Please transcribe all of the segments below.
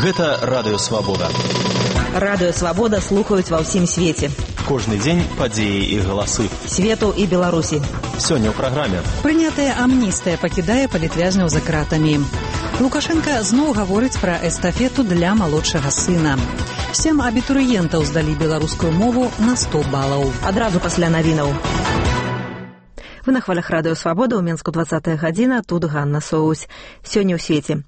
Гэта Радыё Свабода. Радыё Свабода слухаюць ва ўсім свеце. Кожны дзень падзеі і галасы. Свету і Беларусі. Сёння ў праграме. Прынятая амністыя пакідае палітвязняў за кратамі. Лукашенка зноў гаворыць пра эстафету для малодшага сына. 7 абітурыентаў здалі беларускую мову на 100 балаў. Адразу пасля навінаў. Вы на хвалях Радыё Свабода, ў Менску 20 гадзіна, тут Ганна Соусь. Сёння ў свеце.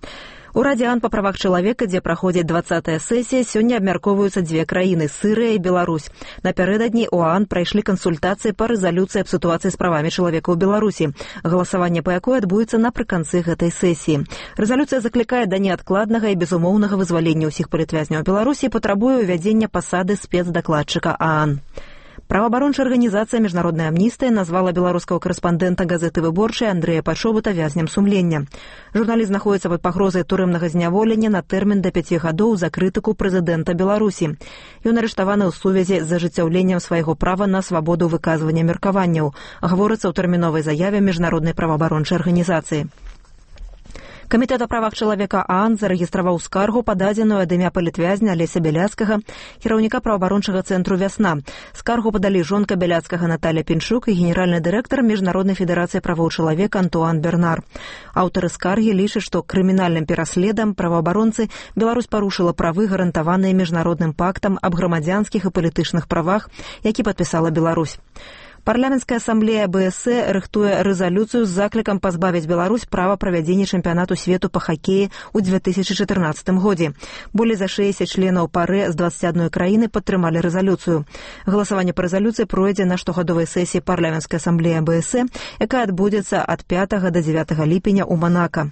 У Радзе ААН па правах чалавека, дзе праходзіць 20-я сесія, сёння абмяркоўваюцца дзве краіны – Сырыя і Беларусь. Напярэдадні ў ААН прайшлі кансультацыі па рэзалюцыі аб сітуацыі з правамі чалавека ў Беларусі. Галасаванне па якой адбудзецца напрыканцы гэтай сесіі. Рэзалюцыя заклікае да неадкладнага і безумоўнага вызвалення ўсіх палітвязняў Беларусі і патрабуе ўвядзення пасады спецдакладчыка ААН. Праваабарончая арганізацыя «Міжнародная амністыя» назвала беларускага карэспандэнта газеты «Выборчай» Андрэя Пачобута вязнем сумлення. Журналіст знаходіцца пад пагрозай турэмнага зняволення на тэрмін да 5 гадоў за крытыку прэзідэнта Беларусі. Ён арыштаваны ў сувязі з ажыццяўленнем свайго права на свабоду выказвання меркаванняў, гаворыцца ў тэрміновай заяве Міжнароднай праваабарончай арганізацыі. Камітэт о правах чалавека ААН зарэгістраваў скаргу, пададзеную ад імя палітвязня Алеся Бяляцкага, кіраўніка праваабарончага цэнтру «Вясна». Скаргу падалі жонка Бяляцкага Наталя Пінчук і генеральны дырэктар Міжнароднай федэрацыі правоў чалавека Антуан Бернар. Аўтары скаргі лічаць, што крымінальным пераследам праваабаронцы Беларусь парушыла правы, гарантаваныя міжнародным пактам аб грамадзянскіх і палітычных правах, які падпісала Беларусь. Парламенцкая асамблея БСС рыхтуе рэзалюцыю з заклікам пазбавіць Беларусь права правядзення чэмпіянату свету па хакеі ў 2014 годзе. Болей за 60 членаў ПАРЭ з 21 краіны падтрымалі рэзалюцыю. Галасаванне па рэзалюцыі пройдзе на штогадовай сесіі парламенцкай асамблеі БСС, якая адбудзецца ад 5 да 9 ліпеня ў Манака.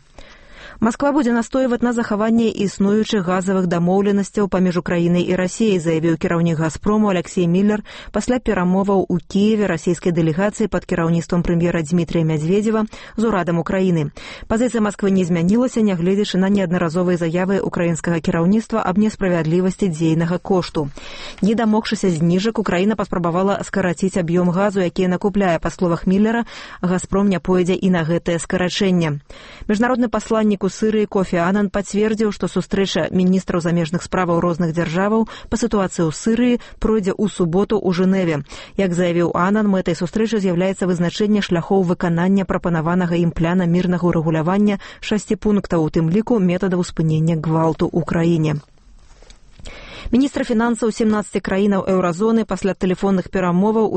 Масква будзе настойваць на захаванне існуючых газавых дамоўленасцяў паміж Украінай і Расіяй, заявіў кіраўнік «Газпрому» Алексей Міллер пасля перамоваў у Кіеве расійскай дэлегацыі пад кіраўніцтвам прэм'ера Дмітрія Мядзведзева з урадам Украіны. Пазіцыя Масквы не змянілася, нягледзячы на неаднаразовыя заявы украінскага кіраўніцтва аб несправядлівасці дзейнага кошту. Не дамогшыся зніжак, Украіна паспрабавала скараціць аб'ём газу, які накупляе. Па словах Міллера, «Газпром» не пойдзе і на гэтае скарачэнне. Міжнародны пасланнік у Сырыі Кофі Анан пацвердзіў, што сустрэча міністраў замежных справаў розных дзяржаваў па сітуацыі ў Сырыі пройдзе ў суботу ў Жэневе. Як заявіў Анан, мэтай сустрэчы з'яўляецца вызначэнне шляхоў выканання прапанаванага ім пляна мірнага ўрэгулявання 6 пунктаў, у тым ліку метадаў спынення гвалту ў краіне. Міністр фінансаў 17 краінаў еўразоны пасля тэлефонных перамоваў у